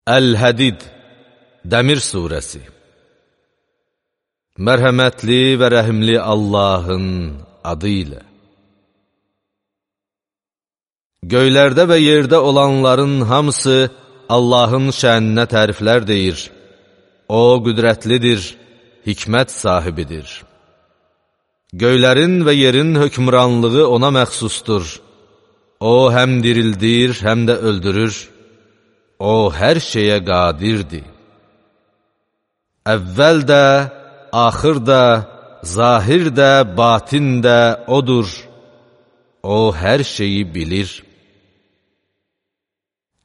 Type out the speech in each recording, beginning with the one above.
Əl-Hədid, Dəmir surəsi. Mərhəmətli və rəhimli Allahın adı ilə. Göylərdə və yerdə olanların hamısı Allahın şəninə təriflər deyir. O, qüdrətlidir, hikmət sahibidir. Göylərin və yerin hökmranlığı ona məxsusdur. O, həm dirildir, həm də öldürür. O, hər şeyə qadirdir. Əvvəl də, axır da, zahir də, batin də odur. O, hər şeyi bilir.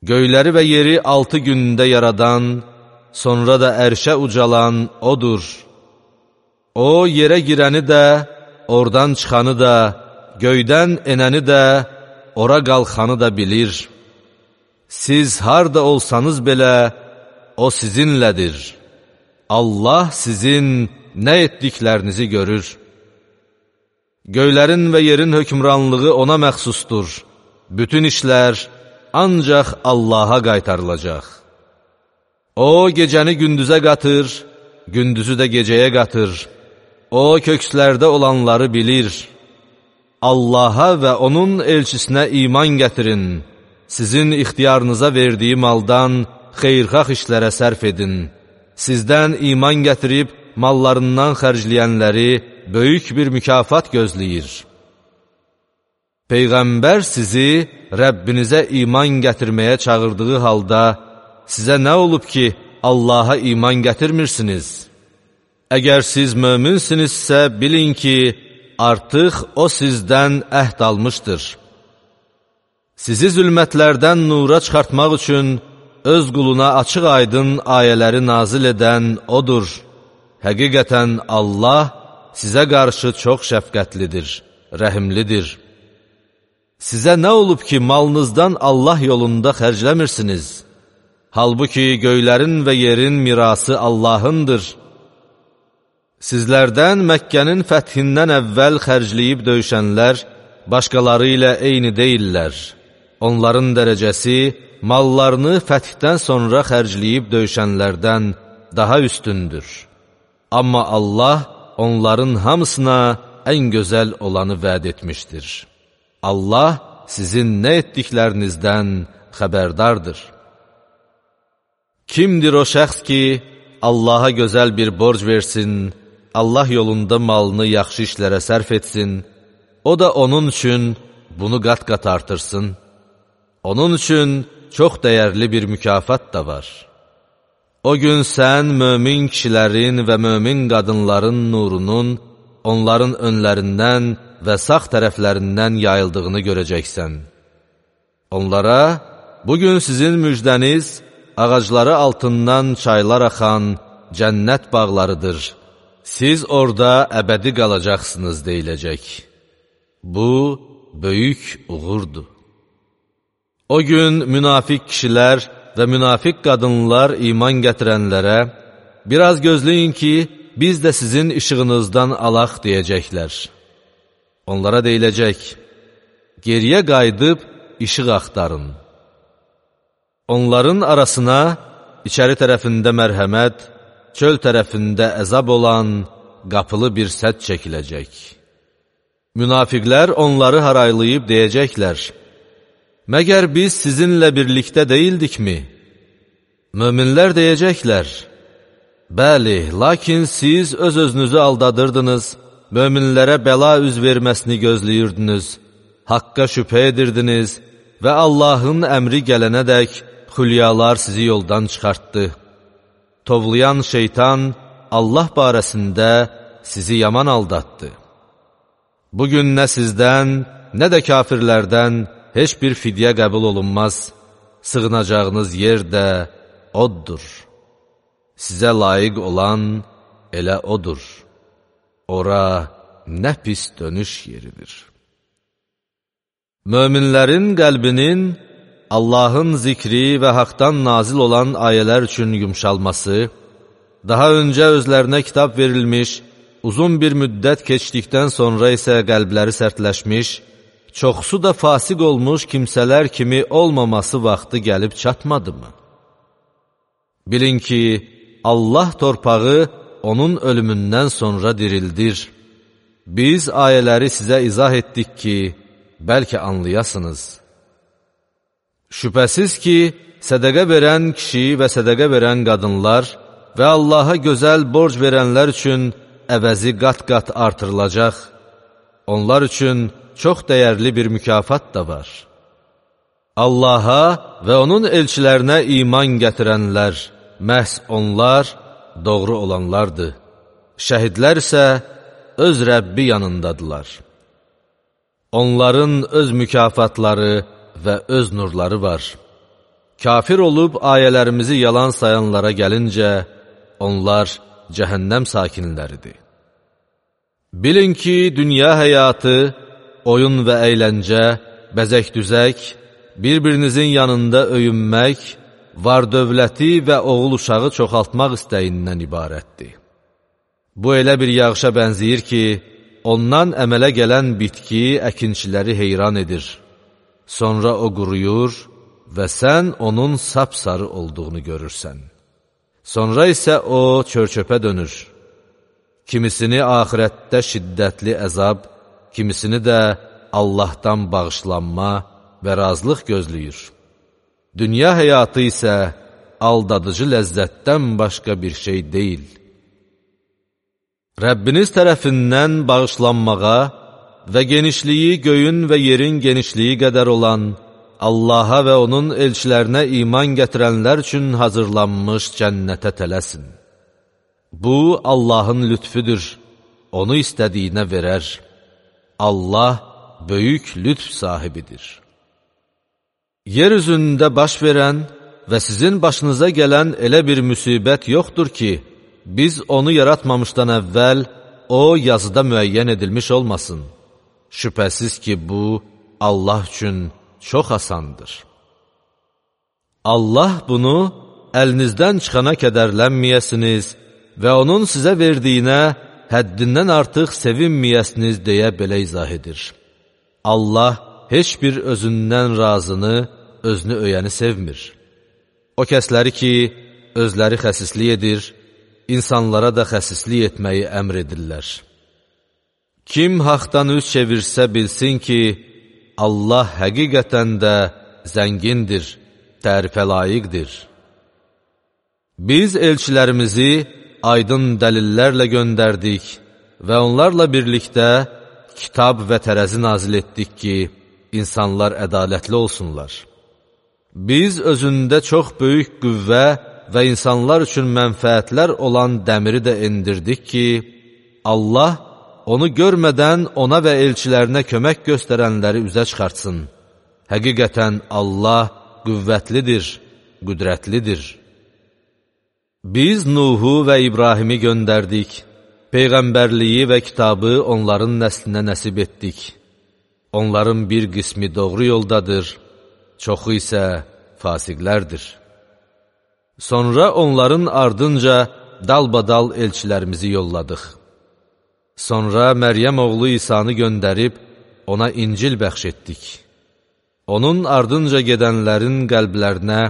Göyləri və yeri 6 gündə yaradan, sonra da ərşə ucalan odur. O, yerə girəni də, oradan çıxanı da, göydən enəni də, ora qalxanı da bilir. Siz harda olsanız belə, o sizinlədir. Allah sizin nə etdiklərinizi görür. Göylərin və yerin hökmranlığı ona məxsusdur. Bütün işlər ancaq Allaha qaytarılacaq. O, gecəni gündüzə qatır, gündüzü də gecəyə qatır. O, kökslərdə olanları bilir. Allaha və onun elçisinə iman gətirin. Sizin ixtiyarınıza verdiyi maldan xeyirxah işlərə sərf edin. Sizdən iman gətirib mallarından xərcləyənləri böyük bir mükafat gözləyir. Peyğəmbər sizi Rəbbinizə iman gətirməyə çağırdığı halda, sizə nə olub ki, Allaha iman gətirmirsiniz? Əgər siz möminsinizsə, bilin ki, artıq o sizdən əhd almışdır. Sizi zülmətlərdən nura çıxartmaq üçün öz quluna açıq-aydın ayələri nazil edən odur. Həqiqətən Allah sizə qarşı çox şəfqətlidir, rəhimlidir. Sizə nə olub ki, malınızdan Allah yolunda xərcləmirsiniz? Halbuki göylərin və yerin mirası Allahındır. Sizlərdən Məkkənin fəthindən əvvəl xərcləyib döyüşənlər başqaları ilə eyni deyillər. Onların dərəcəsi mallarını fəthdən sonra xərcləyib döyüşənlərdən daha üstündür. Amma Allah onların hamısına ən gözəl olanı vəd etmişdir. Allah sizin nə etdiklərinizdən xəbərdardır. Kimdir o şəxs ki, Allaha gözəl bir borc versin, Allah yolunda malını yaxşı işlərə sərf etsin, o da onun üçün bunu qat-qat artırsın. Onun üçün çox dəyərli bir mükafat da var. O gün sən mömin kişilərin və mömin qadınların nurunun onların önlərindən və sağ tərəflərindən yayıldığını görəcəksən. Onlara, bugün sizin müjdəniz, ağacları altından çaylar axan cənnət bağlarıdır. Siz orada əbədi qalacaqsınız deyiləcək. Bu, böyük uğurdur. O gün münafiq kişilər və münafiq qadınlar iman gətirənlərə, biraz gözləyin ki, biz də sizin işığınızdan alaq deyəcəklər. Onlara deyiləcək, geriyə qayıdıb işıq axtarın. Onların arasına içəri tərəfində mərhəmət, çöl tərəfində əzab olan qapılı bir sədd çəkiləcək. Münafiqlər onları haraylayıb deyəcəklər, məgər biz sizinlə birlikdə deyildikmi? Möminlər deyəcəklər, bəli, lakin siz öz-özünüzü aldadırdınız, möminlərə bəla üz verməsini gözləyirdiniz, haqqa şübhə edirdiniz və Allahın əmri gələnədək xülyalar sizi yoldan çıxartdı. Tovlayan şeytan Allah barəsində sizi yaman aldatdı. Bugün nə sizdən, nə də kafirlərdən heç bir fidyə qəbul olunmaz, sığınacağınız yer də oddur. Sizə layiq olan elə odur. Ora nə pis dönüş yeridir. Möminlərin qəlbinin Allahın zikri və haqdan nazil olan ayələr üçün yumşalması, daha öncə özlərinə kitab verilmiş, uzun bir müddət keçdikdən sonra isə qəlbləri sərtləşmiş, çoxsu da fasiq olmuş kimsələr kimi olmaması vaxtı gəlib çatmadı mı? Bilin ki, Allah torpağı onun ölümündən sonra dirildir. Biz ayələri sizə izah etdik ki, bəlkə anlayasınız. Şübhəsiz ki, sədəqə verən kişi və sədəqə verən qadınlar və Allaha gözəl borc verənlər üçün əvəzi qat-qat artırılacaq. Onlar üçün çox dəyərli bir mükafat da var. Allaha və onun elçilərinə iman gətirənlər, məhz onlar doğru olanlardır. Şəhidlər isə öz Rəbbi yanındadılar. Onların öz mükafatları və öz nurları var. Kafir olub ayələrimizi yalan sayanlara gəlincə, onlar cəhənnəm sakinləridir. Bilin ki, dünya həyatı, oyun və əyləncə, bəzək-düzək, bir-birinizin yanında öyünmək, var-dövləti və oğul uşağı çoxaltmaq istəyindən ibarətdir. Bu elə bir yağışa bənzəyir ki, ondan əmələ gələn bitki əkinçiləri heyran edir. Sonra o quruyur və sən onun sapsarı olduğunu görürsən. Sonra isə o çör-çöpə dönür. Kimisini axirətdə şiddətli əzab, kimisini də Allahdan bağışlanma və razılıq gözləyir. Dünya həyatı isə aldadıcı ləzzətdən başqa bir şey deyil. Rəbbiniz tərəfindən bağışlanmağa və genişliyi göyün və yerin genişliyi qədər olan Allaha və onun elçilərinə iman gətirənlər üçün hazırlanmış cənnətə tələsin. Bu, Allahın lütfüdür, onu istədiyinə verər. Allah böyük lütf sahibidir. Yer üzündə baş verən və sizin başınıza gələn elə bir müsibət yoxdur ki, biz onu yaratmamışdan əvvəl o yazıda müəyyən edilmiş olmasın. Şübhəsiz ki, bu Allah üçün çox asandır. Allah bunu əlinizdən çıxana kədərlənməyəsiniz və onun sizə verdiyinə həddindən artıq sevinməyəsiniz deyə belə izah edir. Allah heç bir özündən razını, özünü öyəni sevmir. O kəsləri ki, özləri xəsislik edir, insanlara da xəsislik etməyi əmr edirlər. Kim haqdan üz çevirsə bilsin ki, Allah həqiqətən də zəngindir, tərifə layiqdir. Biz elçilərimizi aydın dəlillərlə göndərdik və onlarla birlikdə kitab və tərəzi nazil etdik ki, insanlar ədalətli olsunlar. Biz özündə çox böyük qüvvə və insanlar üçün mənfəətlər olan dəmiri də endirdik ki, Allah onu görmədən ona və elçilərinə kömək göstərənləri üzə çıxartsın. Həqiqətən Allah qüvvətlidir, qüdrətlidir. Biz Nuhu və İbrahimi göndərdik, Peyğəmbərliyi və kitabı onların nəslinə nəsib etdik. Onların bir qismi doğru yoldadır, çoxu isə fasiqlərdir. Sonra onların ardınca dalbadal elçilərimizi yolladıq. Sonra Məryəm oğlu İsanı göndərib, ona İncil bəxş etdik. Onun ardınca gedənlərin qəlblərinə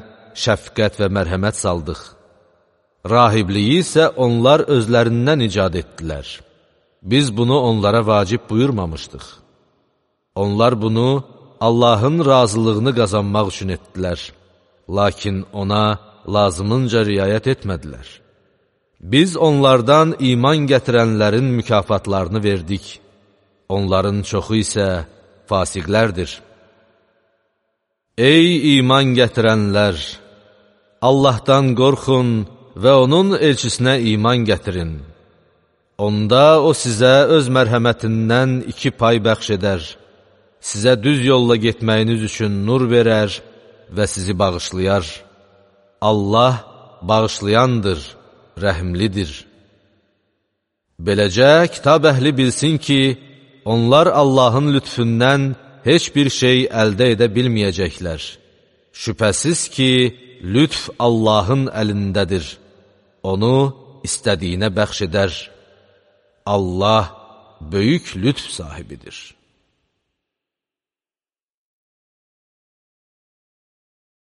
şəfqət və mərhəmət saldıq. Rahibliyi isə onlar özlərindən icad etdilər. Biz bunu onlara vacib buyurmamışdıq. Onlar bunu Allahın razılığını qazanmaq üçün etdilər. Lakin ona lazımınca riayət etmədilər. Biz onlardan iman gətirənlərin mükafatlarını verdik. Onların çoxu isə fasiqlərdir. Ey iman gətirənlər! Allahdan qorxun və onun elçisinə iman gətirin. Onda o sizə öz mərhəmətindən 2 pay bəxş edər. Sizə düz yolla getməyiniz üçün nur verər və sizi bağışlayar. Allah bağışlayandır, rəhimlidir. Beləcə, kitab əhli bilsin ki, onlar Allahın lütfündən heç bir şey əldə edə bilməyəcəklər. Şübhəsiz ki, lütf Allahın əlindədir. Onu istədiyinə bəxş edər. Allah böyük lütf sahibidir.